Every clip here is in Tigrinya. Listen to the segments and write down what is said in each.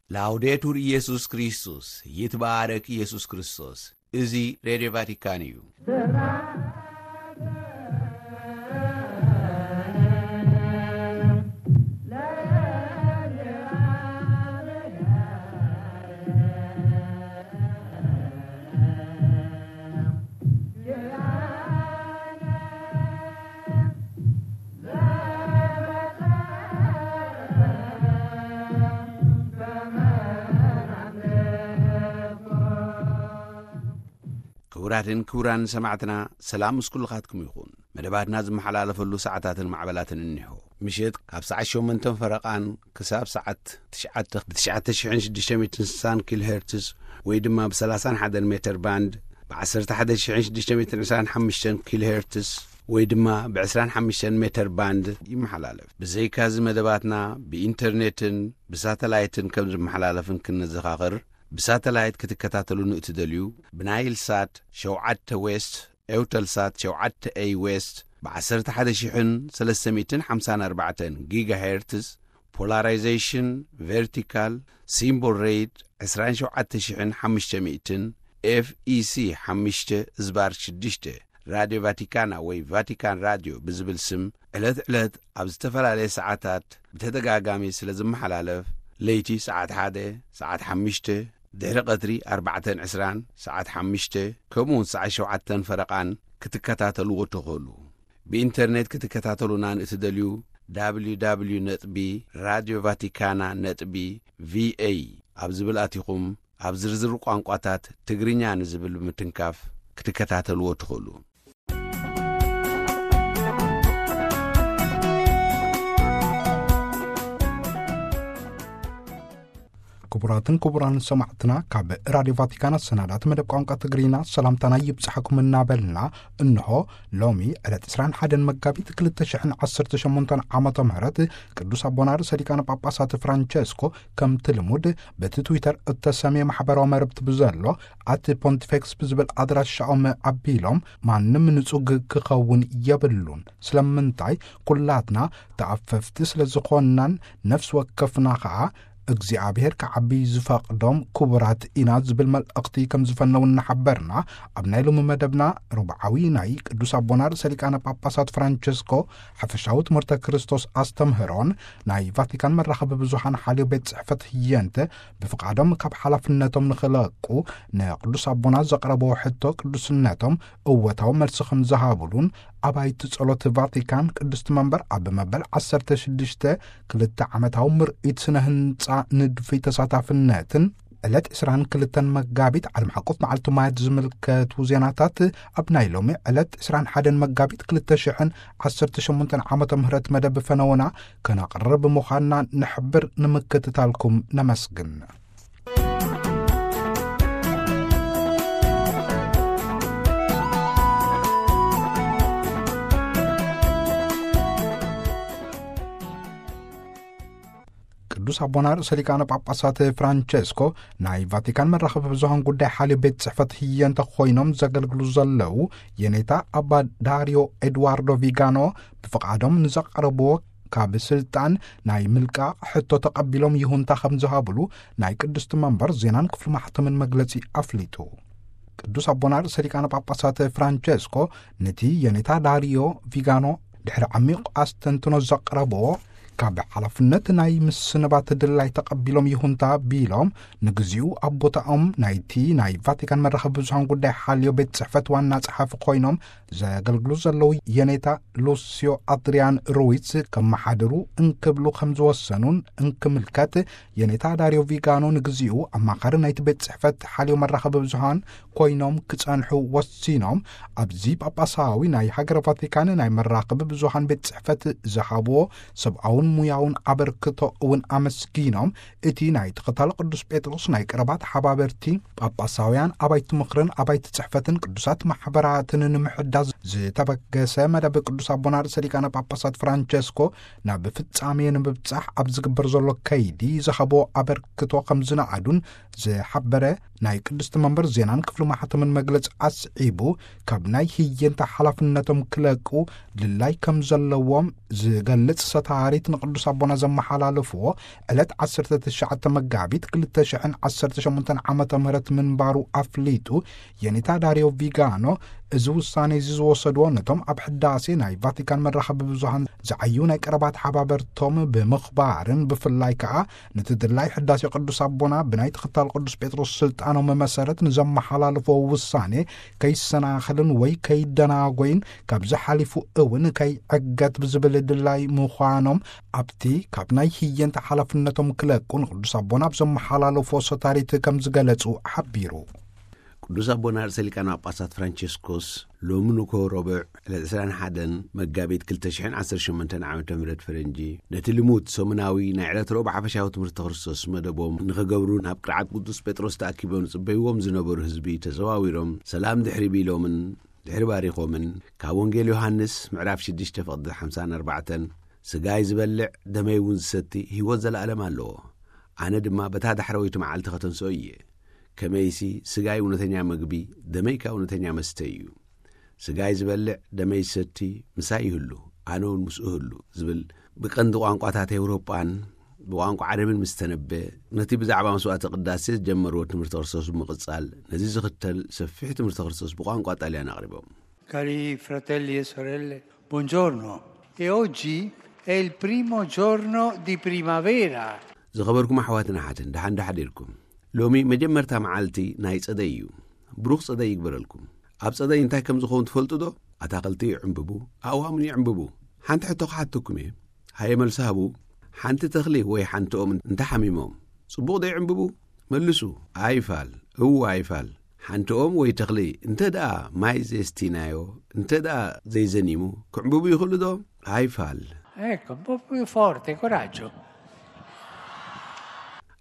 ላውዴቱር ኢየሱስ ክርስቶስ፣ ይትባረክ ኢየሱስ ክርስቶስ። እዚ ሬድዮ ቫቲካን እዩ። ክቡራትን ክቡራን ሰማዕትና፣ ሰላም ምስ ኩልኻትኩም ይኹን። መደባትና ዝመሓላለፈሉ ሰዓታትን ማዕበላትን እኒሆ። ምሸት ካብ ሰዓት ሸሞንተን ፈረቓን ክሳብ ሰዓት ትሽዓተ ብ ትሽዓተ ሽሕን ሽዱሽተ ሚእትን ስሳን ኪሎ ሄርትዝ ወይ ድማ ብ ሰላሳን ሓደን ሜተር ባንድ፣ ብ ዓሰርተ ሓደ ሽሕን ሽዱሽተ ሚእትን ዕስራን ሓሙሽተን ኪሎ ሄርትዝ ወይ ድማ ብ ዕስራን ሓሙሽተን ሜተር ባንድ ይመሓላለፍ። ብዘይካዚ መደባትና ብኢንተርኔትን ብሳተላይትን ከም ዝመሓላለፍን ክንዘኻኽር፣ ብሳተላይት ክትከታተሉን እትደልዩ፣ ብናይል ሳት ሸውዓተ ዌስት፣ ኤውተል ሳት ሸውዓተ ኤይ ዌስት፣ ብ ዓሰርተ ሓደ ሽሕን ሰለስተ ሚእትን ሓምሳን ኣርባዕተን ጊጋ ሄርትዝ፣ ፖላራይዜሽን ቨርቲካል፣ ሲምቦል ሬት ዕስራን ሸውዓተ ሽሕን ሓሙሽተ ሚእትን፣ ኤፍ ኢ ሲ ሓሙሽተ ዝባር ሽዱሽተ፣ ራድዮ ቫቲካና ወይ ቫቲካን ራድዮ ብዝብል ስም ዕለት ዕለት ኣብ ዝተፈላለየ ሰዓታት ብተደጋጋሚ ስለ ዝመሓላለፍ፣ ለይቲ ሰዓት ሓደ፣ ሰዓት ሓሙሽተ፣ ድሕሪ ቀትሪ ኣርባዕተን ዕስራን፣ ሰዓት ሓሙሽተ፣ ከምኡውን ሰዓት ሸውዓተን ፈረቓን ክትከታተልዎ ትኽእሉ። ብኢንተርኔት ክትከታተሉና ንእትደልዩ፣ ደብሊው ደብሊው ደብሊው ነጥቢ ራድዮ ቫቲካና ነጥቢ ቪ ኤ ኣብ ዝብል ኣቲኹም፣ ኣብ ዝርዝር ቋንቋታት ትግርኛ ንዝብል ብምትንካፍ ክትከታተልዎ ትኽእሉ። ክቡራትን ክቡራን ሰማዕትና፣ ካብ ራድዮ ቫቲካን ኣሰናዳት መደብ ቋንቋ ትግርኛ ሰላምታና ይብጻሕኩም እናበልና፣ እንሆ ሎሚ ዕለት ዕስራን ሓደን መጋቢት ክልተ ሽሕን ዓሰርተ ሸሞንተን ዓመተ ምህረት ቅዱስ ኣቦና ርእሰ ሊቃነ ጳጳሳት ፍራንቸስኮ ከምቲ ልሙድ በቲ ትዊተር እተሰምየ ማሕበራዊ መርብቲ ብዘሎ ኣት ፖንቲፌክስ ብዝብል ኣድራሻኦም ኣቢሎም፣ ማንም ንጹግ ክኸውን የብሉን። ስለምንታይ? ኩላትና ተኣፈፍቲ ስለ ዝኾንናን ነፍሲ ወከፍና ኸኣ እግዚኣብሔር ክዓቢ ዝፈቕዶም ክቡራት ኢና ዝብል መልእኽቲ ከም ዝፈነው እናሓበርና፣ ኣብ ናይ ሎሚ መደብና ርብዓዊ ናይ ቅዱስ ኣቦና ርእሰ ሊቃነ ጳጳሳት ፍራንቸስኮ ሓፈሻዊ ትምህርተ ክርስቶስ ኣስተምህሮን ናይ ቫቲካን መራኸቢ ብዙሃን ሓልዮ ቤት ጽሕፈት ህየንተ ብፍቓዶም ካብ ሓላፍነቶም ንኽለቁ ንቅዱስ ኣቦና ዘቕረብዎ ሕቶ ቅዱስነቶም እወታዊ መልሲ ከም ዝሃቡሉን ኣባይቲ ጸሎት ቫቲካን ቅድስቲ መንበር ኣብ መበል ዓሰርተ ሽዱሽተ ክልተ ዓመታዊ ምርኢት ስነ ህንጻ ንድፊ ተሳታፍነትን ዕለት ዕስራን ክልተን መጋቢት ዓለም ሓቆፍ መዓልቲ ማየት ዝምልከቱ ዜናታት ኣብ ናይ ሎሚ ዕለት ዕስራን ሓደን መጋቢት ክልተ ሽሕን ዓሰርተ ሸሞንተን ዓመተ ምህረት መደብ ፈነወና ከነቕርብ ምዃንና ንሕብር። ንምክትታልኩም ነመስግን። ቅዱስ ኣቦና ርእሰ ሊቃነ ጳጳሳት ፍራንቸስኮ ናይ ቫቲካን መራኸቢ ብዙሃን ጉዳይ ሓልዮ ቤት ጽሕፈት ህየንተ ኮይኖም ዘገልግሉ ዘለዉ የኔታ ኣባ ዳርዮ ኤድዋርዶ ቪጋኖ ብፍቓዶም ንዘቐረብዎ ካብ ስልጣን ናይ ምልቃቕ ሕቶ ተቐቢሎም ይሁንታ ከም ዝሃብሉ ናይ ቅድስቲ መንበር ዜናን ክፍሊ ማሕተምን መግለጺ ኣፍሊጡ። ቅዱስ ኣቦና ርእሰ ሊቃነ ጳጳሳት ፍራንቸስኮ ነቲ የኔታ ዳርዮ ቪጋኖ ድሕሪ ዓሚቕ ኣስተንትኖ ዘቕረብዎ ካብ ሓላፍነት ናይ ምስንባት ድላይ ተቐቢሎም ይሁንታ ቢሎም፣ ንግዚኡ ኣብ ቦታኦም ናይቲ ናይ ቫቲካን መራኸቢ ብዙሃን ጉዳይ ሓልዮ ቤት ጽሕፈት ዋና ጸሓፊ ኮይኖም ዘገልግሉ ዘለዉ የኔታ ሉሲዮ ኣድሪያን ሩዊትስ ከመሓድሩ እንክብሉ ከም ዝወሰኑን እንክምልከት፣ የኔታ ዳርዮ ቪጋኖ ንግዚኡ ኣማኻሪ ናይቲ ቤት ጽሕፈት ሓልዮ መራኸቢ ብዙሃን ኮይኖም ክጸንሑ ወሲኖም፣ ኣብዚ ጳጳሳዊ ናይ ሃገረ ቫቲካን ናይ መራኸቢ ብዙሃን ቤት ጽሕፈት ዝሃብዎ ሰብኣውን ሙያውን ኣበርክቶ እውን ኣመስጊኖም፣ እቲ ናይ ተኸታሊ ቅዱስ ጴጥሮስ ናይ ቀረባ ተሓባበርቲ ጳጳሳውያን ኣባይቲ ምኽርን ኣባይቲ ጽሕፈትን ቅዱሳት ማሕበራትን ንምሕዳስ ዝተበገሰ መደብ ቅዱስ ኣቦና ርእሰ ሊቃነ ጳጳሳት ፍራንቸስኮ ናብ ፍጻሜ ንምብጻሕ ኣብ ዝግበር ዘሎ ከይዲ ዝሃቦ ኣበርክቶ ከም ዝነኣዱን ዝሓበረ ናይ ቅድስቲ መንበር ዜናን ክፍሊ ማሕተምን መግለጺ ኣስዒቡ፣ ካብ ናይ ህየንታ ሓላፍነቶም ክለቁ ድላይ ከም ዘለዎም ዝገልጽ ሰታሪት ቅዱስ ኣቦና ዘመሓላለፍዎ ዕለት ዓሰርተ ትሽዓተ መጋቢት ክልተ ሽሕን ዓሰርተ ሸሞንተን ዓመተ ምህረት ምንባሩ ኣፍሊጡ። የኔታ ዳሪዮ ቪጋኖ እዚ ውሳነ እዚ ዝወሰድዎ ነቶም ኣብ ሕዳሴ ናይ ቫቲካን መራኸቢ ብዙሃን ዝዓዩ ናይ ቀረባ ተሓባበርቶም ብምኽባርን ብፍላይ ከኣ ነቲ ድላይ ሕዳሴ ቅዱስ ኣቦና ብናይ ተኸታል ቅዱስ ጴጥሮስ ስልጣኖም መሰረት ንዘመሓላለፍዎ ውሳኔ ከይሰናኸልን ወይ ከይደናጎይን ካብዚ ሓሊፉ እውን ከይዕገት ብዝብል ድላይ ምዃኖም ኣብቲ ካብ ናይ ህየንተ ሓላፍነቶም ክለቁ ንቅዱስ ኣቦና ኣብ ዘመሓላለፍዎ ሰታሪት ከም ዝገለጹ ሓቢሩ። ቅዱስ ኣቦና ርእሰ ሊቃነ ጳጳሳት ፍራንቸስኮስ ሎሚ ንግሆ ረቡዕ ዕለት ዕስራን ሓደን መጋቢት ክልተ ሽሕን ዓሰርተ ሸሞንተን ዓመተ ምህረት ፈረንጂ ነቲ ልሙድ ሰሙናዊ ናይ ዕለት ረቡዕ ሓፈሻዊ ትምህርቲ ክርስቶስ መደቦም ንኽገብሩ ናብ ቅርዓት ቅዱስ ጴጥሮስ ተኣኪቦም ዝጽበይዎም ዝነበሩ ህዝቢ ተዘዋዊሮም ሰላም ድሕሪ ቢሎምን ድሕሪ ባሪኾምን ካብ ወንጌል ዮሃንስ ምዕራፍ ሽዱሽተ ፍቕዲ ሓምሳን ኣርባዕተን ስጋይ ዝበልዕ ደመይ እውን ዝሰቲ ህይወት ዘለኣለም ኣለዎ። ኣነ ድማ በታ ዳሕረወይቲ መዓልቲ ከተንስኦ እየ። ከመይሲ ስጋይ እውነተኛ መግቢ፣ ደመይ ከኣ እውነተኛ መስተ እዩ። ስጋይ ዝበልዕ ደመይ ዝሰቲ ምሳይ ይህሉ፣ ኣነ እውን ምስኡ እህሉ ዝብል ብቀንዲ ቋንቋታት ኤውሮጳን ብቋንቋ ዓረብን ምስ ተነበ ነቲ ብዛዕባ መስዋዕተ ቅዳሴ ዝጀመርዎ ትምህርቲ ክርስቶስ ብምቕጻል ነዚ ዝኽተል ሰፊሕ ትምህርቲ ክርስቶስ ብቋንቋ ጣልያን ኣቕሪቦም። Cari fratelli e sorelle, buongiorno. E oggi è il primo giorno di primavera. ዝኸበርኩም ኣሕዋትን ኣሓትን ደሓን ዶ ሓዲርኩም? ሎሚ መጀመርታ መዓልቲ ናይ ጸደይ እዩ። ብሩኽ ጸደይ ይግበረልኩም። ኣብ ጸደይ እንታይ ከም ዝኸውን ትፈልጡ ዶ? ኣታኽልቲ ይዕምብቡ፣ ኣእዋምን ይዕምብቡ። ሓንቲ ሕቶ ክሓተኩም እየ። ሃየ መልሲ ሃቡ። ሓንቲ ተኽሊ ወይ ሓንቲ ኦም እንተሓሚሞም ጽቡቕ ዶ ይዕምብቡ? መልሱ። ኣይፋል። እወ ኣይፋል። ሓንቲ ኦም ወይ ተኽሊ እንተ ደኣ ማይ ዘየስቲናዮ፣ እንተ ደኣ ዘይዘኒሙ ክዕምብቡ ይኽእሉ ዶ? ኣይፋል። Ecco, un po' più forte, coraggio.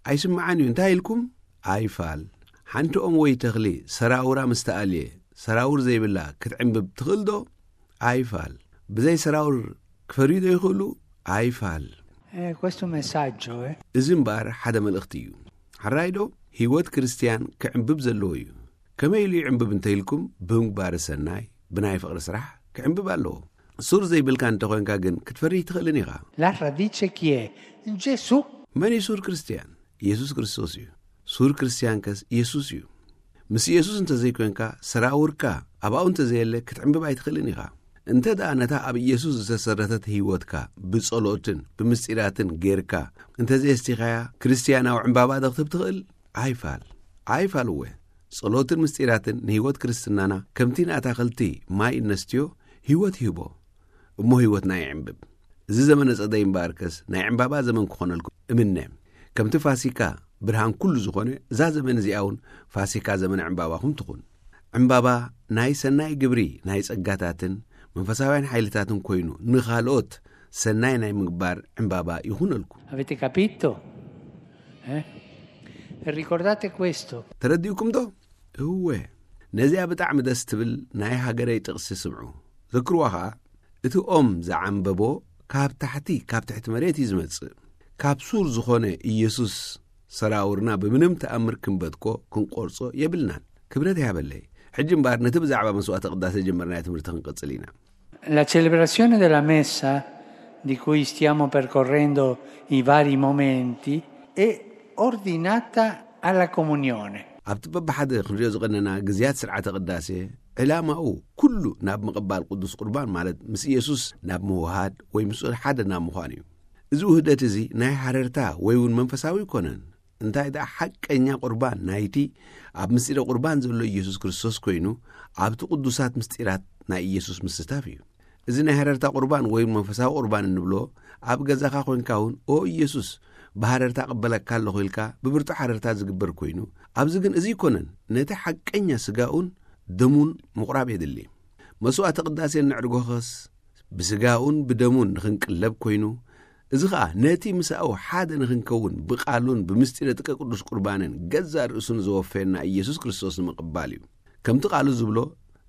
ኣይስምዓን እዩ። እንታይ ኢልኩም? ኣይፋል። ሓንቲ ኦም ወይ ተኽሊ ሰራውራ ምስ ተኣልየ ሰራውር ዘይብላ ክትዕምብብ ትኽእል ዶ? ኣይፋል። ብዘይ ሰራውር ክፈርዩ ዶ ይኽእሉ? ኣይፋል። Eh, questo è un messaggio, eh. እዚ እምበኣር ሓደ መልእኽቲ እዩ። ሕራይ ዶ? ህይወት ክርስትያን ክዕምብብ ዘለዎ እዩ። ከመይ ኢሉ ይዕምብብ እንተ ኢልኩም፣ ብምግባር ሰናይ፣ ብናይ ፍቕሪ ስራሕ ክዕምብብ ኣለዎ። ሱር ዘይብልካ እንተኾንካ ግን ክትፈሪ ኣይትኽእልን ኢኻ። La radice chi è? Gesù. መን እዩ ሱር ክርስትያን? ኢየሱስ ክርስቶስ እዩ። ሱር ክርስትያን ከስ ኢየሱስ እዩ። ምስ ኢየሱስ እንተዘይኮንካ፣ ሰራውርካ ኣብኡ እንተዘየለ ክትዕምብብ ኣይትኽእልን ኢኻ። እንተ ደኣ ነታ ኣብ ኢየሱስ ዝተሰረተት ህይወትካ ብጸሎትን ብምስጢራትን ጌርካ እንተዘየስቲኻያ፣ ክርስትያናዊ ዕምባባ ዶ ክትህብ ትኽእል? ኣይፋል። ኣይፋል እወ። ጸሎትን ምስጢራትን ንህይወት ክርስትናና ከምቲ ንኣታኽልቲ ማይ እነስትዮ ህይወት ይህቦ። እሞ ህይወትና ይዕምብብ። እዚ ዘመነ ጸደይ እምበኣርከስ ናይ ዕምባባ ዘመን ክኾነልኩም እምነ። ከምቲ ፋሲካ ብርሃን ኩሉ ዝኾነ፣ እዛ ዘመን እዚኣ እውን ፋሲካ ዘመነ ዕምባባኹም ትኹን። ዕምባባ ናይ ሰናይ ግብሪ ናይ ጸጋታትን መንፈሳውያን ሓይልታትን ኮይኑ ንኻልኦት ሰናይ ናይ ምግባር ዕምባባ ይኹነልኩም። Avete capito? Eh? E ricordate questo. ተረዲእኩም ዶ? እወ። ነዚኣ ብጣዕሚ ደስ ትብል ናይ ሃገረይ ጥቕሲ ስምዑ። ዘክርዋ ኸኣ፣ እቲ ኦም ዝዓምበቦ ካብ ታሕቲ፣ ካብ ትሕቲ መሬት እዩ ዝመጽእ። ካብ ሱር ዝኾነ ኢየሱስ ሰራውርና ብምንም ተኣምር ክንበትኮ፣ ክንቆርጾ የብልናን። ክብረት ይሃበለይ። ሕጂ እምበኣር ነቲ ብዛዕባ መስዋዕተ ቅዳሴ ጀመርናዮ ትምህርቲ ክንቅጽል ኢና። La celebrazione della messa, di cui stiamo percorrendo i vari momenti, è ordinata alla comunione. ኣብቲ በብሓደ ክንሪኦ ዝቐነና ግዝያት ስርዓተ ቅዳሴ፣ ዕላማኡ ኩሉ ናብ ምቕባል ቅዱስ ቁርባን፣ ማለት ምስ ኢየሱስ ናብ ምውሃድ ወይ ምስኡ ሓደ ናብ ምዃን እዩ። እዚ ውህደት እዚ ናይ ሃረርታ ወይ እውን መንፈሳዊ ኣይኮነን። እንታይ ደኣ ሓቀኛ ቁርባን ናይቲ ኣብ ምስጢረ ቁርባን ዘሎ ኢየሱስ ክርስቶስ ኮይኑ፣ ኣብቲ ቅዱሳት ምስጢራት ናይ ኢየሱስ ምስታፍ እዩ። እዚ ናይ ሃረርታ ቁርባን ወይ መንፈሳዊ ቁርባን እንብሎ፣ ኣብ ገዛኻ ኮይንካ እውን፣ "ኦ ኢየሱስ፣ ብሃረርታ እቕበለካ ኣለኹ" ኢልካ ብብርቱዕ ሃረርታ ዝግበር ኮይኑ፣ ኣብዚ ግን እዚ ኣይኮነን። ነቲ ሓቀኛ ስጋኡን ደሙን ምቑራብ የድሊ። መስዋዕተ ቅዳሴ እነዕርጎኸስ ብስጋኡን ብደሙን ንኽንቅለብ ኮይኑ፣ እዚ ኸኣ ነቲ ምሳኡ ሓደ ንኽንከውን ብቃሉን ብምስጢረ ጥቀ ቅዱስ ቁርባንን ገዛእ ርእሱን ዘወፈየና ኢየሱስ ክርስቶስ ንምቕባል እዩ። ከምቲ ቃሉ ዝብሎ፣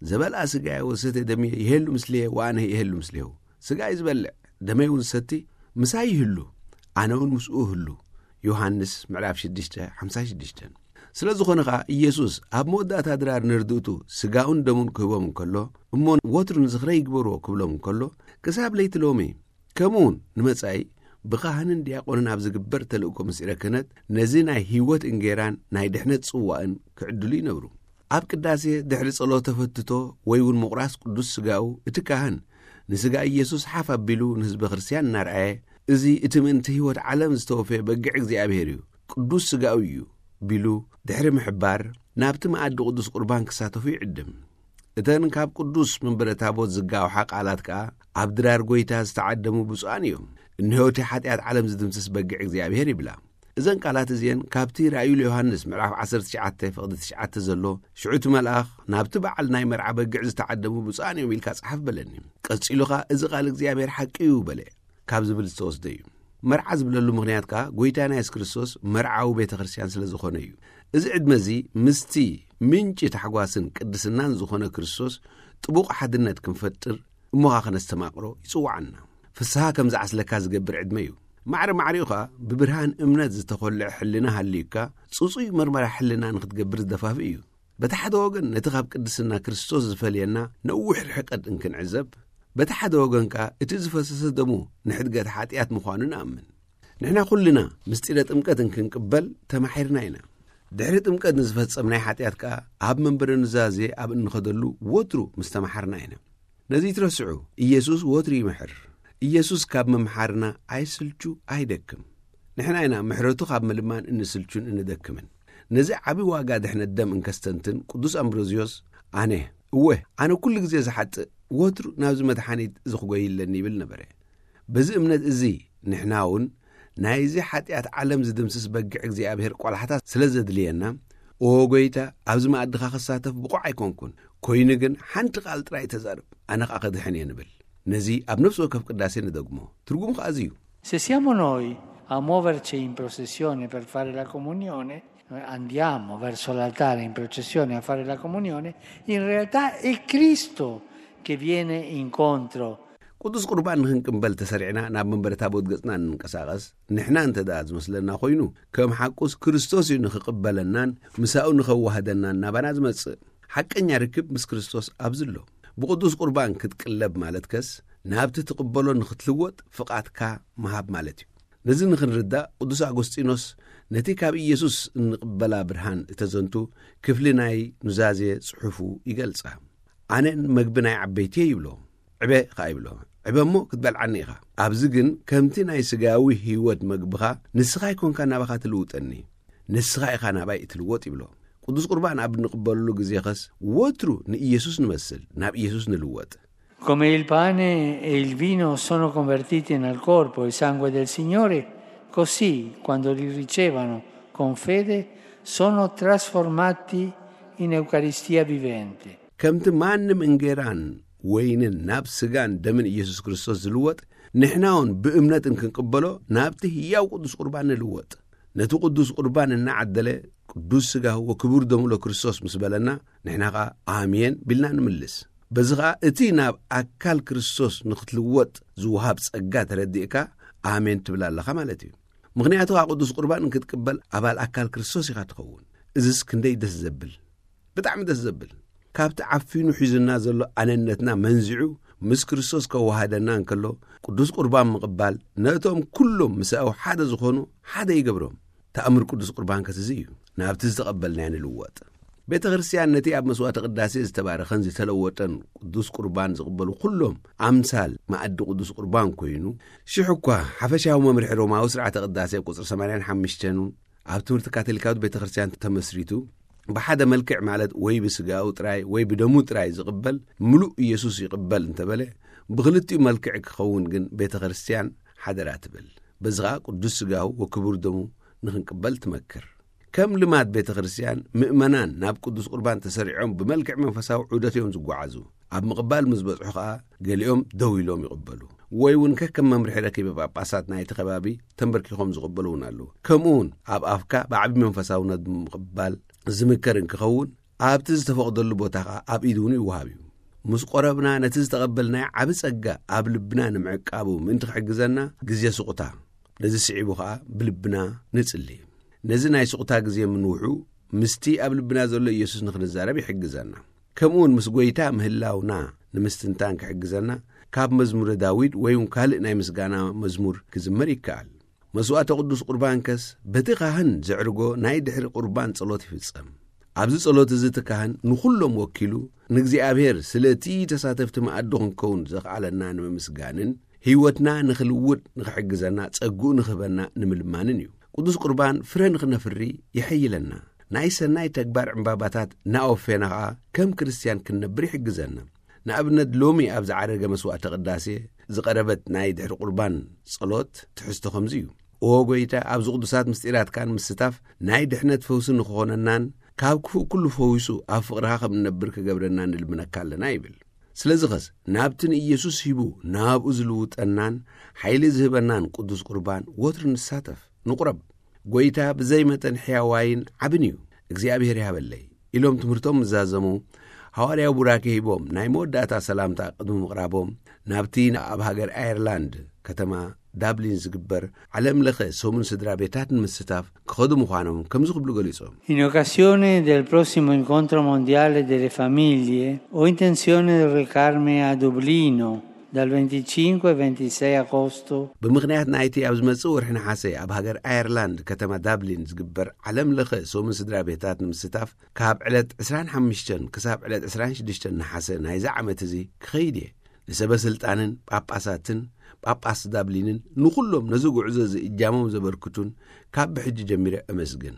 "ዘበልኣ ስጋየ ወሰተ ደምየ ይሄሉ ምስልየ ወኣነ ይሄሉ ምስሌሁ።" ስጋይ ዝበልዕ ደመይ እውን ዝሰቲ ምሳይ ይህሉ፣ ኣነ እውን ምስኡ እህሉ። ዮሃንስ ምዕራፍ ሽዱሽተ ሓምሳ ሽዱሽተ። ስለ ዝኾነ ኸኣ ኢየሱስ ኣብ መወዳእታ ድራር ንርድእቱ ስጋኡን ደሙን ክህቦም እንከሎ፣ እሞ ወትሩ ንዝኽረይ ይግበርዎ ክብሎም እንከሎ፣ ክሳብ ለይቲ ሎሚ ከምኡውን ንመጻኢ ብኻህንን ዲያቆንን ኣብ ዝግበር ተልእኮ ምስጢረ ክህነት ነዚ ናይ ህይወት እንጌራን ናይ ድሕነት ጽዋእን ክዕድሉ ይነብሩ። ኣብ ቅዳሴ ድሕሪ ጸሎተ ፈትቶ ወይ እውን ምቑራስ ቅዱስ ስጋኡ፣ እቲ ካህን ንስጋ ኢየሱስ ሓፍ ኣቢሉ ንህዝበ ክርስቲያን እናርኣየ፣ "እዚ እቲ ምእንቲ ህይወት ዓለም ዝተወፈየ በግዕ እግዚኣብሔር እዩ፣ ቅዱስ ስጋኡ እዩ" ቢሉ ድሕሪ ምሕባር፣ ናብቲ መኣዲ ቅዱስ ቁርባን ክሳተፉ ይዕድም። እተን ካብ ቅዱስ መንበረ ታቦት ዝጋውሓ ቃላት ከኣ ኣብ ድራር ጐይታ ዝተዓደሙ ብፁዓን እዮም። "እንሆ እቲ ሓጢኣት ዓለም ዝድምስስ በግዕ እግዚኣብሔር" ይብላ። እዘን ቃላት እዚአን ካብቲ ራእዩ ዮሃንስ ምዕራፍ ዓሰርተ ትሽዓተ ፍቕዲ ትሽዓተ ዘሎ፣ "ሽዑ እቲ መልኣኽ ናብቲ በዓል ናይ መርዓ በግዕ ዝተዓደሙ ብፁዓን እዮም" ኢልካ ጸሓፍ በለኒ። ቀጺሉ ኸኣ "እዚ ቃል እግዚኣብሔር ሓቂ እዩ" በለ ካብ ዝብል ዝተወስደ እዩ። መርዓ ዝብለሉ ምኽንያት ከኣ ጐይታና የሱስ ክርስቶስ መርዓዊ ቤተ ክርስቲያን ስለ ዝኾነ እዩ። እዚ ዕድመ እዚ ምስቲ ምንጪ ታሕጓስን ቅድስናን ዝኾነ ክርስቶስ ጥቡቕ ሓድነት ክንፈጥር እሞኻ ከነስተማቕሮ ይጽውዓና። ፍስሃ ከም ዝዓስለካ ዝገብር ዕድመ እዩ። ማዕረ ማዕሪኡ ኸኣ ብብርሃን እምነት ዝተኾልዐ ሕልና ሃልዩካ ጽጹይ መርመራ ሕልና ንኽትገብር ዝደፋፍእ እዩ። በቲ ሓደ ወገን ነቲ ካብ ቅድስና ክርስቶስ ዝፈልየና ነዊሕ ርሕቀት እንክንዕዘብ፣ በቲ ሓደ ወገን ከኣ እቲ ዝፈሰሰ ደሙ ንሕድገት ሓጢኣት ምዃኑ ንኣምን። ንሕና ኩልና ምስጢረ ጥምቀት እንክንቅበል ተማሒርና ኢና። ድሕሪ ጥምቀት ንዝፈጸምናይ ሓጢኣት ከኣ ኣብ መንበረ ኑዛዜ ኣብ እንኸደሉ ወትሩ ምስ ተማሓርና ኢና። ነዚ ትረስዑ፣ ኢየሱስ ወትሩ ይምሕር። ኢየሱስ ካብ ምምሓርና ኣይስልቹ ኣይደክም። ንሕና ኢና ምሕረቱ ካብ ምልማን እንስልቹን እንደክምን። ነዚ ዓቢ ዋጋ ድሕነት ደም እንከስተንትን ቅዱስ ኣምብሮዝዮስ፣ "ኣነ፣ እወ፣ ኣነ ኩሉ ግዜ ዝሓጥእ፣ ወትሩ ናብዚ መድሓኒት እዚ ክጎይ ኣለኒ" ይብል ነበረ። በዚ እምነት እዚ ንሕና እውን ናይዚ ሓጢኣት ዓለም ዝድምስስ በግዕ እግዚኣብሔር ቆላሕታ ስለ ዘድልየና፣ "ኦ ጐይታ፣ ኣብዚ መኣድኻ ክሳተፍ ብቑዕ ኣይኮንኩን፣ ኮይኑ ግን ሓንቲ ቃል ጥራይ ተዛረብ፣ ኣነ ኸኣ ክድሕን እየ" ንብል። ነዚ ኣብ ነፍሲ ወከፍ ቅዳሴ ንደግሞ። ትርጉሙ ኸኣ እዚ እዩ። Se siamo noi a muoverci in processione per fare la comunione, noi andiamo verso l'altare in processione a fare la comunione, in realtà è Cristo che viene incontro. ቅዱስ ቁርባን ንኽንቅበል ተሰሪዕና ናብ መንበረ ታቦት ገጽና እንንቀሳቐስ ንሕና እንተ ደኣ ዝመስለና ኮይኑ፣ ከም ሓቁስ ክርስቶስ እዩ ንኽቕበለናን ምሳኡ ንኸዋህደናን ናባና ዝመጽእ። ሓቀኛ ርክብ ምስ ክርስቶስ ኣብዚ ኣሎ። ብቅዱስ ቁርባን ክትቅለብ ማለት ከስ ናብቲ ትቕበሎ ንኽትልወጥ ፍቓድካ ምሃብ ማለት እዩ። ነዚ ንኽንርዳእ ቅዱስ ኣጎስጢኖስ ነቲ ካብ ኢየሱስ እንቕበላ ብርሃን እተዘንቱ ክፍሊ ናይ ኑዛዜ ጽሑፉ ይገልጻ። "ኣነን መግቢ ናይ ዓበይቲ እየ" ይብሎ። "ዕበ" ኸኣ ይብሎ። "ዕበ እሞ ክትበልዓኒ ኢኻ። ኣብዚ ግን ከምቲ ናይ ስጋዊ ህይወት መግብኻ ንስኻ ኣይኮንካ ናባኻ ትልውጠኒ፣ ንስኻ ኢኻ ናባይ እትልወጥ" ይብሎ። ቅዱስ ቁርባን ኣብ እንቕበለሉ ግዜ ኸስ ወትሩ ንኢየሱስ ንመስል፣ ናብ ኢየሱስ ንልወጥ። Come il pane e il vino sono convertiti nel corpo e sangue del Signore, così, quando li ricevono con fede, sono trasformati in Eucaristia vivente. ከምቲ ማንም እንጌራን ወይንን ናብ ስጋን ደምን ኢየሱስ ክርስቶስ ዝልወጥ፣ ንሕና እውን ብእምነት እንክንቅበሎ ናብቲ ህያው ቅዱስ ቁርባን ንልወጥ። ነቲ ቅዱስ ቁርባን እናዓደለ ቅዱስ ስጋሁ ወክቡር ደሙ ለክርስቶስ ምስ በለና፣ ንሕና ኸኣ ኣሜን ቢልና ንምልስ። በዚ ኸኣ እቲ ናብ ኣካል ክርስቶስ ንኽትልወጥ ዝወሃብ ጸጋ ተረዲእካ ኣሜን ትብል ኣለኻ ማለት እዩ። ምኽንያቱ ኸኣ ቅዱስ ቁርባን እንክትቅበል ኣባል ኣካል ክርስቶስ ኢኻ ትኸውን። እዝስ ክንደይ ደስ ዘብል! ብጣዕሚ ደስ ዘብል። ካብቲ ዓፊኑ ሒዙና ዘሎ ኣነነትና መንዚዑ ምስ ክርስቶስ ከወሃደና እንከሎ፣ ቅዱስ ቁርባን ምቕባል ነቶም ኩሎም ምሳኡ ሓደ ዝኾኑ ሓደ ይገብሮም። ተኣምር ቅዱስ ቁርባን ከትዚ እዩ። ናብቲ ዝተቐበልናዮ ንልወጥ። ቤተ ክርስቲያን ነቲ ኣብ መስዋዕተ ቅዳሴ ዝተባረኸን ዝተለወጠን ቅዱስ ቁርባን ዝቕበሉ ኩሎም ኣምሳል መኣዲ ቅዱስ ቁርባን ኮይኑ፣ ሽሕ እኳ ሓፈሻዊ መምርሒ ሮማዊ ስርዓተ ቅዳሴ ኣብ ቁጽሪ ሰማንያን ሓሙሽተን ኣብ ትምህርቲ ካቶሊካዊት ቤተ ክርስቲያን ተመስሪቱ፣ ብሓደ መልክዕ ማለት ወይ ብስጋኡ ጥራይ ወይ ብደሙ ጥራይ ዝቕበል ምሉእ ኢየሱስ ይቕበል እንተበለ፣ ብኽልቲኡ መልክዕ ክኸውን ግን ቤተ ክርስቲያን ሓደራ ትብል። በዚ ኸኣ ቅዱስ ስጋሁ ወክቡር ደሙ ንኽንቅበል ትመክር። ከም ልማድ ቤተ ክርስቲያን፣ ምእመናን ናብ ቅዱስ ቁርባን ተሰሪዖም ብመልክዕ መንፈሳዊ ዑደት እዮም ዝጓዓዙ። ኣብ ምቕባል ምስ በጽሑ ኸኣ፣ ገሊኦም ደው ኢሎም ይቕበሉ። ወይ እውን ከከም መምርሒ ረኪበ ጳጳሳት ናይቲ ከባቢ ተንበርኪኾም ዝቕበሉ እውን ኣለዉ። ከምኡ እውን ኣብ ኣፍካ ብዓቢ መንፈሳውነት ብምቕባል ዝምከር እንክኸውን፣ ኣብቲ ዝተፈቕደሉ ቦታ ኸኣ ኣብ ኢድ እውን ይወሃብ እዩ። ምስ ቆረብና ነቲ ዝተቐበልናዮ ዓቢ ጸጋ ኣብ ልብና ንምዕቃቡ ምእንቲ ክሕግዘና ግዜ ስቑታ። ነዚ ስዒቡ ኸኣ ብልብና ንጽሊ። ነዚ ናይ ስቑታ ግዜ ምንውሑ ምስቲ ኣብ ልብና ዘሎ ኢየሱስ ንኽንዛረብ ይሕግዘና። ከምኡውን ምስ ጐይታ ምህላውና ንምስትንታን ክሕግዘና፣ ካብ መዝሙረ ዳዊት ወይ እውን ካልእ ናይ ምስጋና መዝሙር ክዝመር ይከኣል። መስዋዕተ ቅዱስ ቁርባንከስ በቲ ካህን ዘዕርጎ ናይ ድሕሪ ቁርባን ጸሎት ይፍጸም። ኣብዚ ጸሎት እዚ እቲ ካህን ንኹሎም ወኪሉ ንእግዚኣብሔር ስለ እቲ ተሳተፍቲ መኣዲ ክንከውን ዘኽኣለና ንምምስጋንን ህይወትና ንኽልውጥ ንኽሕግዘና ጸግኡ ንኽህበና ንምልማንን እዩ። ቅዱስ ቁርባን ፍረ ንኽነፍሪ ይሕይለና። ናይ ሰናይ ተግባር ዕምባባታት እናወፈየና ኸኣ ከም ክርስትያን ክንነብር ይሕግዘና። ንኣብነት ሎሚ ኣብ ዝዓረገ መስዋዕተ ቅዳሴ ዝቐረበት ናይ ድሕሪ ቁርባን ጸሎት ትሕዝቶ ከምዚ እዩ። ኦ ጐይታ፣ ኣብዚ ቅዱሳት ምስጢራትካን ምስታፍ ናይ ድሕነት ፈውሲ ንኽኾነናን ካብ ክፉእ ኩሉ ፈዊሱ ኣብ ፍቕርኻ ከም እንነብር ክገብረና ንልምነካ ኣለና ይብል። ስለዚ ኸስ ናብቲ ንኢየሱስ ሂቡ ናብኡ ዝልውጠናን ሓይሊ ዝህበናን ቅዱስ ቁርባን ወትሩ ንሳተፍ፣ ንቑረብ። ጐይታ ብዘይ መጠን ሕያዋይን ዓብን እዩ፣ እግዚኣብሔር ይሃበለይ ኢሎም ትምህርቶም ምዛዘሙ ሃዋርያዊ ቡራኬ ሂቦም ናይ መወዳእታ ሰላምታ ቅድሚ ምቕራቦም ናብቲ ኣብ ሃገር ኣየርላንድ ከተማ ዳብሊን ዝግበር ዓለም ለኸ ሰሙን ስድራ ቤታት ንምስታፍ ክኸዱ ምዃኖም ከምዚ ክብሉ ገሊጾም። In occasione del prossimo incontro mondiale delle famiglie, ho intenzione di recarmi a Dublino dal venticinque al ventisei agosto. ብምኽንያት ናይቲ ኣብ ዝመጽእ ወርሒ ነሓሰ ኣብ ሃገር ኣየርላንድ ከተማ ዳብሊን ዝግበር ዓለም ለኸ ሰሙን ስድራ ቤታት ንምስታፍ ካብ ዕለት ዕስራን ሓሙሽተን ክሳብ ዕለት ዕስራን ሽዱሽተን ነሓሰ ናይዚ ዓመት እዚ ክኸይድ እየ። ንሰበ ስልጣንን ጳጳሳትን ጳጳስ ዳብሊንን ንኹሎም ነዚ ጉዕዞ እዚ እጃሞም ዘበርክቱን ካብ ብሕጂ ጀሚረ እመስግን።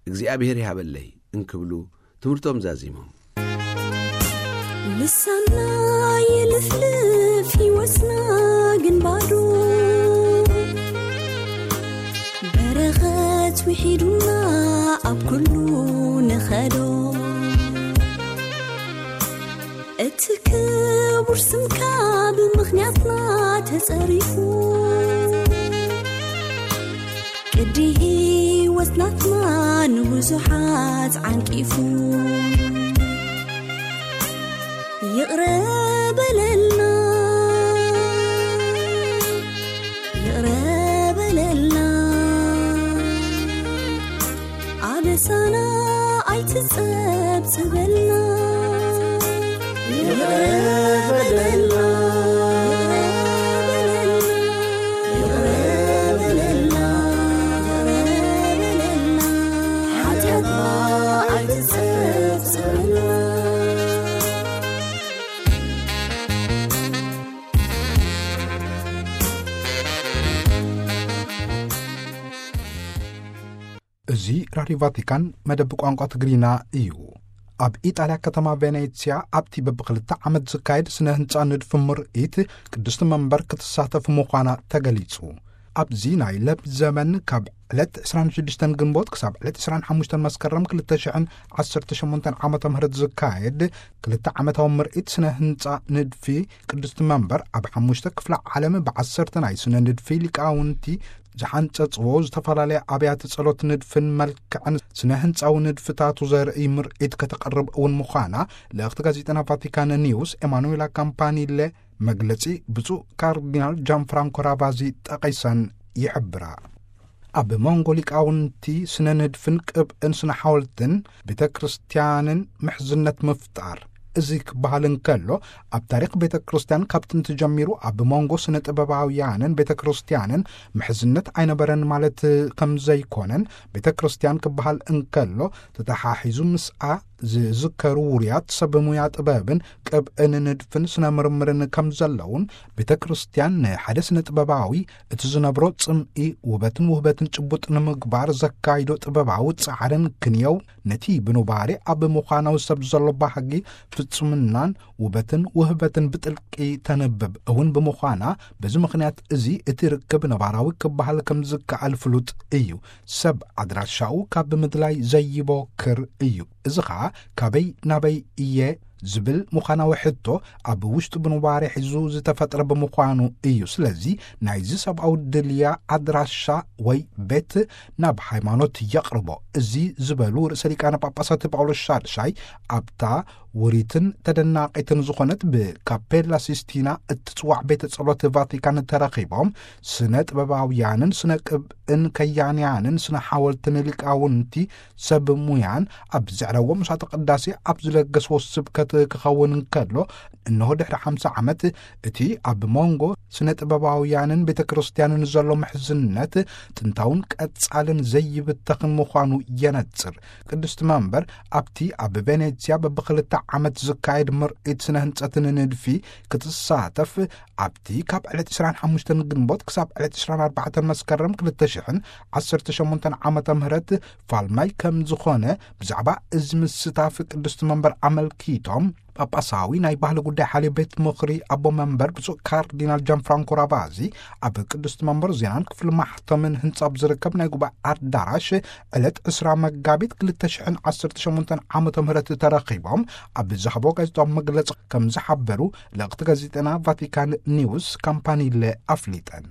እግዚኣብሔር ይሃበለይ እንክብሉ ትምህርቶም ዛዚሞም። ልሳና ይልፍልፍ ይወስና ግን ባዶ በረኸት ውሒዱና ኣብ ኩሉ ንኸዶ። እቲ ክቡር ስምካ ብምኽንያትና ተጸሪፉ፣ ቅዲ ህይወት ናትና ንብዙሓት ዓንቂፉ። ይቕረ በለልና፣ ይቕረ በለልና፣ ኣበሳና ኣይትጸብጽበልና። ይቕረ በለልና፣ ይቕረ በለልና፣ ይቕረ በለልና፣ ሓጢኣትና ኣይትጸብጽበልና። እዚ ራድዮ ቫቲካን መደብ ቋንቋ ትግርኛ እዩ። ኣብ ኢጣልያ ከተማ ቬኔትስያ ኣብቲ በብክልተ ዓመት ዝካየድ ስነ ህንጻ ንድፊ ምርኢት ቅድስቲ መንበር ክትሳተፍ ምዃና ተገሊጹ። ኣብዚ ናይ ለብ ዘመን ካብ ዕለት ዕስራን ሽዱሽተን ግንቦት ክሳብ ዕለት ዕስራን ሓሙሽተን መስከረም ክልተ ሽሕን ዓሰርተ ሸሞንተን ዓመተ ምህረት ዝካየድ ክልተ ዓመታዊ ምርኢት ስነ ህንጻ ንድፊ ቅድስቲ መንበር ኣብ ሓሙሽተ ክፍለ ዓለም ብዓሰርተ ናይ ስነ ንድፊ ሊቃውንቲ ዝሓንጸጽዎ ዝተፈላለያ ኣብያተ ጸሎት ንድፍን መልክዕን ስነ ህንጻዊ ንድፍታቱ ዘርኢ ምርኢት ከተቕርብ እውን ምዃና ልእኽቲ ጋዜጠና ቫቲካን ኒውስ ኤማኑዌላ ካምፓኒለ መግለጺ ብፁዕ ካርዲናል ጃን ፍራንኮ ራቫዚ ጠቒሰን ይሕብራ። ኣብ መንጎ ሊቃውንቲ ስነ ንድፍን ቅብእን ስነ ሓወልትን ቤተ ክርስቲያንን ምሕዝነት ምፍጣር። እዚ ክበሃል እንከሎ፣ ኣብ ታሪኽ ቤተ ክርስቲያን ካብ ጥንቲ ጀሚሩ ኣብ መንጎ ስነ ጥበባውያንን ቤተ ክርስቲያንን ምሕዝነት ኣይነበረን ማለት ከም ዘይኮነን፣ ቤተ ክርስቲያን ክበሃል እንከሎ፣ ተተሓሒዙ ምስኣ ዝዝከሩ ውሩያት ሰብ ሙያ ጥበብን ቅብእን ንድፍን ስነ ምርምርን ከም ዘለውን፣ ቤተ ክርስቲያን ንሓደ ስነ ጥበባዊ እቲ ዝነብሮ ጽምኢ ውበትን ውህበትን ጭቡጥ ንምግባር ዘካይዶ ጥበባዊ ጻዕርን ክንየው፣ ነቲ ብኑባሬ ኣብ ምዃናዊ ሰብ ዘሎ ባህጊ ፍጹምናን ውበትን ውህበትን ብጥልቂ ተንብብ እውን ብምዃና፣ በዚ ምኽንያት እዚ እቲ ርክብ ነባራዊ ክበሃል ከም ዝከኣል ፍሉጥ እዩ። ሰብ ኣድራሻኡ ካብ ምድላይ ዘይቦክር እዩ። እዚ ኸኣ ካበይ ናበይ እየ ዝብል ምዃናዊ ሕቶ ኣብ ውሽጢ ብኑባሬ ሒዙ ዝተፈጥረ ብምዃኑ እዩ። ስለዚ ናይዚ ሰብኣዊ ድልያ ኣድራሻ ወይ ቤት ናብ ሃይማኖት የቕርቦ። እዚ ዝበሉ ርእሰ ሊቃነ ጳጳሳት ጳውሎስ ሻድሻይ ኣብታ ውሪትን ተደናቒትን ዝኾነት ብካፔላ ሲስቲና እትጽዋዕ ቤተ ጸሎት ቫቲካን ተረኺቦም፣ ስነ ጥበባውያንን ስነ ቅብእን ከያንያንን ስነ ሓወልትን ሊቃውንቲ ሰብ ሙያን ኣብ ዘዕረዎ ምሳተ ቅዳሴ ኣብ ዝለገስዎ ስብከት ክኸውን እንከሎ፣ እንሆ ድሕሪ ሓምሳ ዓመት እቲ ኣብ መንጎ ስነ ጥበባውያንን ቤተ ክርስቲያንን ዘሎ ምሕዝነት ጥንታውን ቀጻልን ዘይብተኽን ምዃኑ የነጽር። ቅድስቲ መንበር ኣብቲ ኣብ ቬኔትስያ በብኽልተ ዓመት ዝካየድ ምርኢት ስነ ህንጸትን ንድፊ ክትሳተፍ፣ ኣብቲ ካብ ዕለት ዕስራን ሓሙሽተን ግንቦት ክሳብ ዕለት ዕስራን ኣርባዕተን መስከረም ክልተ ሽሕን ዓሰርተ ሸሞንተን ዓመተ ምህረት ፋልማይ ከም ዝኾነ ብዛዕባ እዚ ምስታፍ ቅድስቲ መንበር ኣመልኪቶም፣ ጳጳሳዊ ናይ ባህሊ ጉዳይ ሓልዮ ቤት ምኽሪ ኣቦ መንበር ብፁዕ ካርዲናል ጃን ፍራንኮ ራቫዚ ኣብ ቅድስቲ መንበር ዜናን ክፍሊ ማሕተምን ህንጻ ኣብ ዝርከብ ናይ ጉባኤ ኣዳራሽ ዕለት ዕስራ መጋቢት ክልተ ሽሕን ዓሰርተ ሸሞንተን ዓመተ ምህረት ተረኺቦም ኣብ ዝሃቦ ጋዜጣዊ መግለጺ ከም ዝሓበሩ ልእኽቲ ጋዜጠና ቫቲካን ኒውስ ካምፓኒለ ኣፍሊጠን።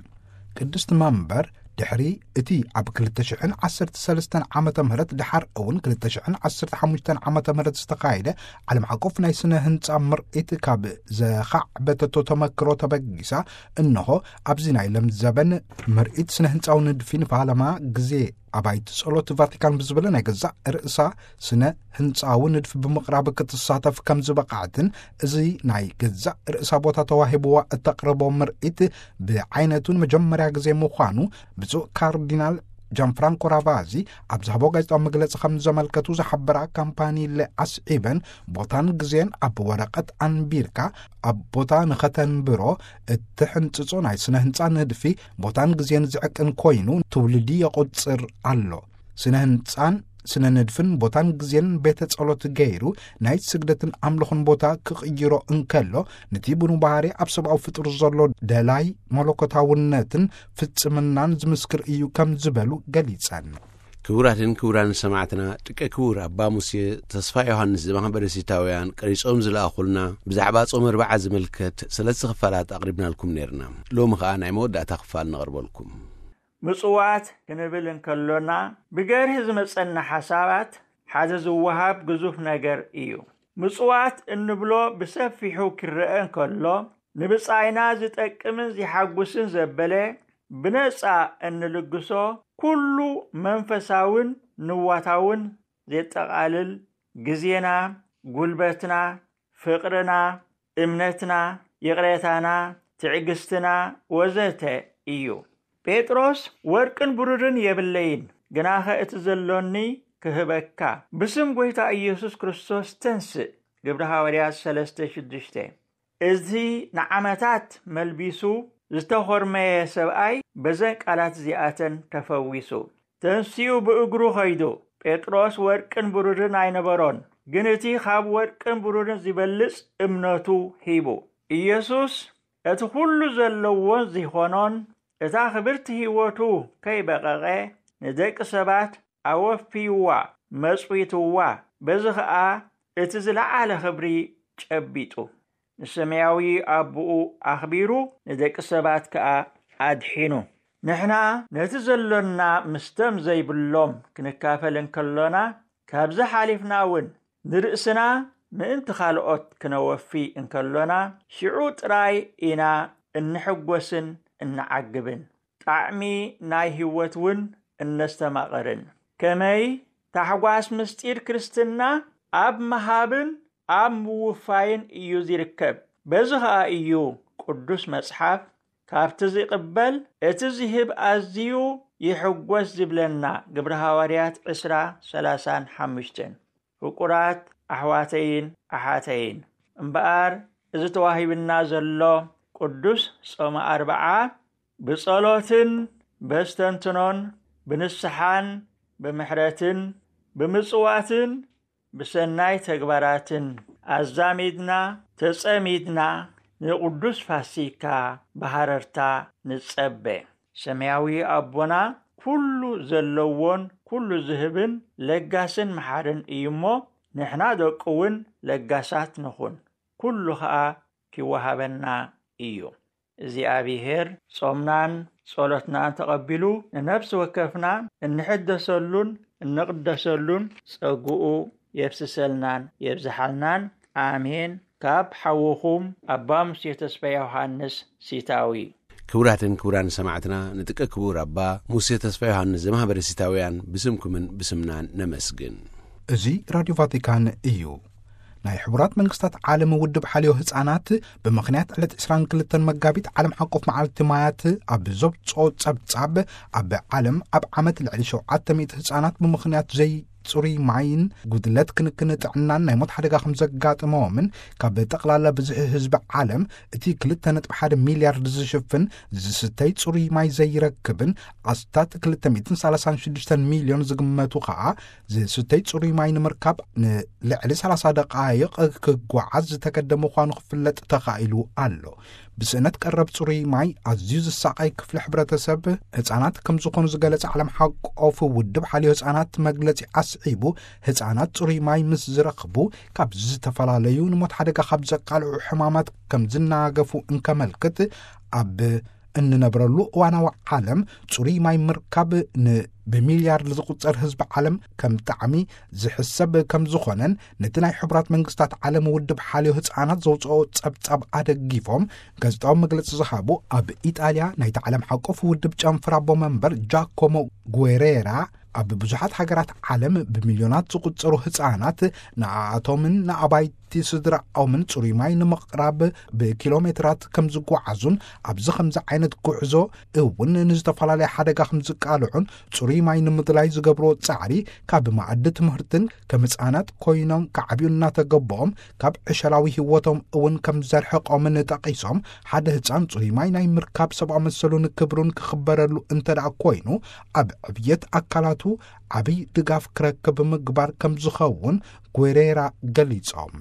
ቅድስቲ መንበር ድሕሪ እቲ ኣብ ክልተ ሽሕን ዓሰርተ ሰለስተን ዓመተ ምህረት ድሓር እውን ክልተ ሽሕን ዓሰርተ ሓሙሽተን ዓመተ ምህረት ዝተኻየደ ዓለም ዓቀፍ ናይ ስነ ህንጻ ምርኢት ካብ ዘኻዕበተቶ ተመክሮ ተበጊሳ፣ እንሆ ኣብዚ ናይ ለምዘበን ምርኢት ስነ ህንጻዊ ንድፊ ንፋለማ ግዜ ኣባይቲ ጸሎት ቫቲካን ብዝብል ናይ ገዛእ ርእሳ ስነ ህንጻዊ ንድፊ ብምቕራብ ክትሳተፍ ከም ዝበቕዐትን፣ እዚ ናይ ገዛእ ርእሳ ቦታ ተዋሂብዋ እተቕርቦ ምርኢት ብዓይነቱ ንመጀመርያ ግዜ ምዃኑ ብፁዕ ካርዲናል ጃንፍራንኮ ራቫዚ ኣብ ዝሃቦ ጋዜጣዊ መግለጺ ከም ዘመልከቱ ዝሓበራ ካምፓኒለ ኣስዒበን፣ ቦታን ግዜን ኣብ ወረቐት ኣንቢርካ ኣብ ቦታ ንኸተንብሮ እትሕንጽጾ ናይ ስነ ህንጻ ንድፊ ቦታን ግዜን ዝዕቅን ኮይኑ ትውልዲ የቑጽር ኣሎ። ስነ ህንጻን ስነ ንድፍን ቦታን ግዜን ቤተ ጸሎት ገይሩ ናይ ስግደትን ኣምልኾን ቦታ ክቕይሮ እንከሎ፣ ነቲ ብኑ ባህሪ ኣብ ሰብኣዊ ፍጡር ዘሎ ደላይ መለኮታውነትን ፍጽምናን ዝምስክር እዩ ከም ዝበሉ ገሊጸን። ክቡራትን ክቡራን ሰማዕትና፣ ደቂ ክቡር ኣባ ሙሴ ተስፋ ዮሃንስ ዘማህበረ ሲታውያን ቀሪጾም ዝለኣኹልና ብዛዕባ ጾም ኣርብዓ ዝምልከት ሰለስተ ክፋላት ኣቕሪብናልኩም ነይርና። ሎሚ ኸኣ ናይ መወዳእታ ክፋል ነቕርበልኩም። ምጽዋት ክንብል እንከሎና፣ ብገርሂ ዝመጸና ሓሳባት ሓደ ዝወሃብ ግዙፍ ነገር እዩ። ምጽዋት እንብሎ ብሰፊሑ ክረአ እንከሎ፣ ንብጻይና ዝጠቅምን ዝሓጉስን ዘበለ ብነጻ እንልግሶ፣ ኩሉ መንፈሳውን ንዋታውን ዜጠቓልል፣ ግዜና፣ ጉልበትና፣ ፍቕርና፣ እምነትና፣ ይቕሬታና፣ ትዕግስትና ወዘተ እዩ። ጴጥሮስ፣ "ወርቅን ብሩርን የብለይን፣ ግናኸ እቲ ዘሎኒ ክህበካ፣ ብስም ጐይታ ኢየሱስ ክርስቶስ ተንስእ።" ግብሪ ሃዋርያት ሰለስተ ሽዱሽተ። እዚ ንዓመታት መልቢሱ ዝተኾርመየ ሰብኣይ በዘን ቃላት እዚኣተን ተፈዊሱ። ተንሲኡ ብእግሩ ኸይዱ። ጴጥሮስ ወርቅን ብሩርን ኣይነበሮን፣ ግን እቲ ኻብ ወርቅን ብሩርን ዚበልጽ እምነቱ ሂቡ። ኢየሱስ እቲ ኹሉ ዘለዎን ዚኾኖን እታ ኽብርቲ ህይወቱ ከይበቐቐ ንደቂ ሰባት ኣወፍይዋ፣ መጽዊትዋ። በዚ ኸኣ እቲ ዝለዓለ ኽብሪ ጨቢጡ። ንሰማያዊ ኣቦኡ ኣኽቢሩ ንደቂ ሰባት ከኣ ኣድሒኑ። ንሕና ነቲ ዘሎና ምስቶም ዘይብሎም ክንካፈል እንከሎና፣ ካብዚ ሓሊፍና እውን ንርእስና ምእንቲ ካልኦት ክነወፊ እንከሎና፣ ሽዑ ጥራይ ኢና እንሕጎስን እንዓግብን። ጣዕሚ ናይ ህይወት እውን እነስተማቕርን። ከመይ? ታሕጓስ ምስጢር ክርስትና ኣብ ምሃብን ኣብ ምውፋይን እዩ ዚርከብ። በዚ ኸኣ እዩ ቅዱስ መጽሓፍ፣ "ካብቲ ዚቕበል እቲ ዚህብ ኣዝዩ ይሕጎስ" ዚብለና። ግብሪ ሃዋርያት ዕስራ፣ ሰላሳን ሓሙሽተን። ፍቁራት ኣሕዋተይን ኣሓተይን፣ እምበኣር እዚ ተዋሂብና ዘሎ ቅዱስ ጾመ ኣርብዓ ብጸሎትን በስተንትኖን ብንስሓን ብምሕረትን ብምጽዋትን ብሰናይ ተግባራትን ኣዛሚድና ተጸሚድና ንቅዱስ ፋሲካ ብሃረርታ ንጸበ። ሰማያዊ ኣቦና ኩሉ ዘለዎን ኩሉ ዝህብን ለጋስን መሓርን እዩ እሞ፣ ንሕና ደቁ እውን ለጋሳት ንኹን፣ ኩሉ ኸኣ ኪወሃበና እዩ። እግዚኣብሔር ጾምናን ጸሎትናን ተቐቢሉ፣ ንነፍሲ ወከፍና እንሕደሰሉን እንቕደሰሉን ጸግኡ የፍስሰልናን የብዝሓልናን። ኣሜን። ካብ ሓውኹም ኣባ ሙሴ ተስፋ ዮሃንስ ሲታዊ። ክቡራትን ክቡራን ሰማዕትና፣ ንጥቀ ክቡር ኣባ ሙሴ ተስፋ ዮሃንስ ዘማህበረ ሲታውያን ብስምኩምን ብስምናን ነመስግን። እዚ ራድዮ ቫቲካን እዩ። ናይ ሕቡራት መንግስታት ዓለም ውድብ ሓልዮ ህፃናት፣ ብምኽንያት ዕለት ዕስራን ክልተን መጋቢት ዓለም ሓቆፍ መዓልቲ ማያት ኣብ ዘውፅኦ ጸብጻብ፣ ኣብ ዓለም ኣብ ዓመት ልዕሊ ሸውዓተ ሚእቲ ህፃናት ብምኽንያት ዘይፅሩይ ማይን ጉድለት ክንክን ጥዕናን ናይ ሞት ሓደጋ ከም ዘጋጥመዎምን፣ ካብ ጠቕላላ ብዝሒ ህዝቢ ዓለም እቲ ክልተ ነጥቢ ሓደ ሚልያርድ ዝሽፍን ዝስተይ ጽሩይ ማይ ዘይረክብን ኣስታት ክልተ ሚእትን ሰላሳን ሽዱሽተን ሚልዮን ዝግመቱ ኸኣ ዝስተይ ጽሩይ ማይ ንምርካብ ንልዕሊ ሰላሳ ደቓይቕ ክጓዓዝ ዝተገደ ምዃኑ ክፍለጥ ተኻኢሉ ኣሎ። ብስእነት ቀረብ ጽሩይ ማይ ኣዝዩ ዝሳቐይ ክፍሊ ሕብረተሰብ ህጻናት ከም ዝኾኑ ዝገለጸ ዓለም ሓቆፍ ውድብ ሓልዮ ህጻናት መግለጺ ኣስዒቡ፣ ህጻናት ጽሩይ ማይ ምስ ዝረኽቡ ካብ ዝተፈላለዩ ንሞት ሓደጋ ካብ ዘቃልዑ ሕማማት ከም ዝናገፉ እንከመልክት፣ ኣብ እንነብረሉ እዋናዊ ዓለም ጽሩይ ማይ ምርካብ ን ብሚልያርድ ዝቑጸር ህዝቢ ዓለም ከም ጣዕሚ ዝሕሰብ ከም ዝኾነን፣ ነቲ ናይ ሕቡራት መንግስታት ዓለም ውድብ ሓልዮ ህጻናት ዘውፅኦ ጸብጻብ ኣደጊፎም ጋዜጣዊ መግለጺ ዝሃቡ ኣብ ኢጣልያ ናይቲ ዓለም ሓቆፍ ውድብ ጨንፍር ኣቦ መንበር ጃኮሞ ጉዌሬራ፣ ኣብ ብዙሓት ሃገራት ዓለም ብሚልዮናት ዝቑጸሩ ህጻናት ንኣኣቶምን ንኣባይቲ ስድራኦምን ጽሩይ ማይ ንምቕራብ ብኪሎ ሜትራት ከም ዝጓዓዙን፣ ኣብዚ ከምዚ ዓይነት ጉዕዞ እውን ንዝተፈላለየ ሓደጋ ከም ዝቃልዑን፣ ጽሩይ ማይ ንምድላይ ዝገብርዎ ጻዕሪ ካብ መኣዲ ትምህርትን ከም ህጻናት ኮይኖም ክዓብዩ እናተገበኦም ካብ ዕሸላዊ ህይወቶም እውን ከም ዘርሕቆምን ጠቒሶም፣ ሓደ ህጻን ጽሩይ ማይ ናይ ምርካብ ሰብኣዊ መሰሉን ክብሩን ክኽበረሉ እንተ ደኣ ኮይኑ፣ ኣብ ዕብየት ኣካላቱ ዓብይ ድጋፍ ክረክብ ምግባር ከም ዝኸውን ጉሬራ ገሊጾም።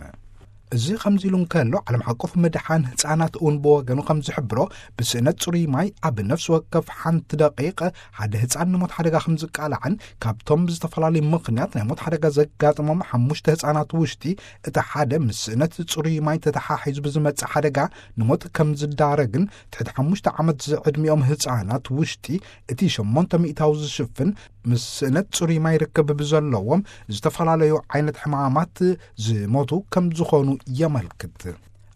እዚ ከምዚ ኢሉ እንከሎ፣ ዓለም ሓቆፍ ምድሓን ህጻናት እውን ብወገኑ ከም ዝሕብሮ፣ ብስእነት ጽሩይ ማይ ኣብ ነፍሲ ወከፍ ሓንቲ ደቂቕ ሓደ ህጻን ንሞት ሓደጋ ከም ዝቃላዕን፣ ካብቶም ብዝተፈላለዩ ምኽንያት ናይ ሞት ሓደጋ ዘጋጥሞም ሓሙሽተ ህጻናት ውሽጢ እቲ ሓደ ምስ ስእነት ጽሩይ ማይ ተተሓሒዙ ብዝመጽእ ሓደጋ ንሞት ከም ዝዳረግን፣ ትሕቲ ሓሙሽተ ዓመት ዝዕድሚኦም ህጻናት ውሽጢ እቲ ሸሞንተ ሚእታዊ ዝሽፍን ምስ ስእነት ጽሩይ ማይ ርክብ ብዘለዎም ዝተፈላለዩ ዓይነት ሕማማት ዝሞቱ ከም ዝኾኑ የመልክት።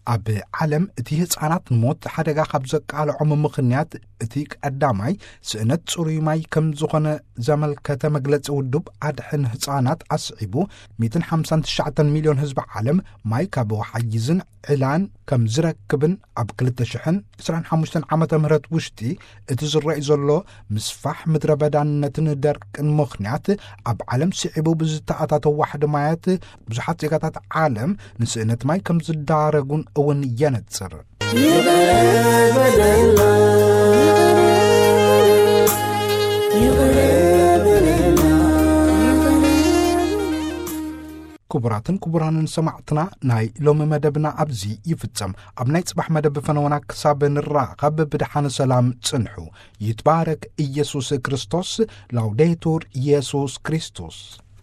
ኣብ ዓለም እቲ ህጻናት ንሞት ሓደጋ ካብ ዘቃልዖም ምኽንያት እቲ ቀዳማይ ስእነት ጽሩይ ማይ ከም ዝኾነ ዘመልከተ መግለጺ ውድብ ኣድሕን ህጻናት ኣስዒቡ፣ ሚእትን ሓምሳን ትሽዓተን ሚልዮን ህዝቢ ዓለም ማይ ካብ ወሓይዝን ዕላን ከም ዝረክብን፣ ኣብ ክልተ ሽሕን ዕስራን ሓሙሽተን ዓመተ ምህረት ውሽጢ እቲ ዝረኣይ ዘሎ ምስፋሕ ምድረ በዳነትን ደርቅን ምኽንያት፣ ኣብ ዓለም ስዒቡ ብዝተኣታተው ዋሕዲ ማያት ብዙሓት ዜጋታት ዓለም ንስእነት ማይ ከም ዝዳረጉን እውን የነጽር። ይቕረ በለልና፣ ይቕረ በለልና። ክቡራትን ክቡራንን ሰማዕትና፣ ናይ ሎሚ መደብና ኣብዚ ይፍጸም። ኣብ ናይ ጽባሕ መደብ ፈነወና ክሳብ ንራኸብ ብደሓን ሰላም ጽንሑ። ይትባረክ ኢየሱስ ክርስቶስ። ላውዴቱር ኢየሱስ ክርስቶስ።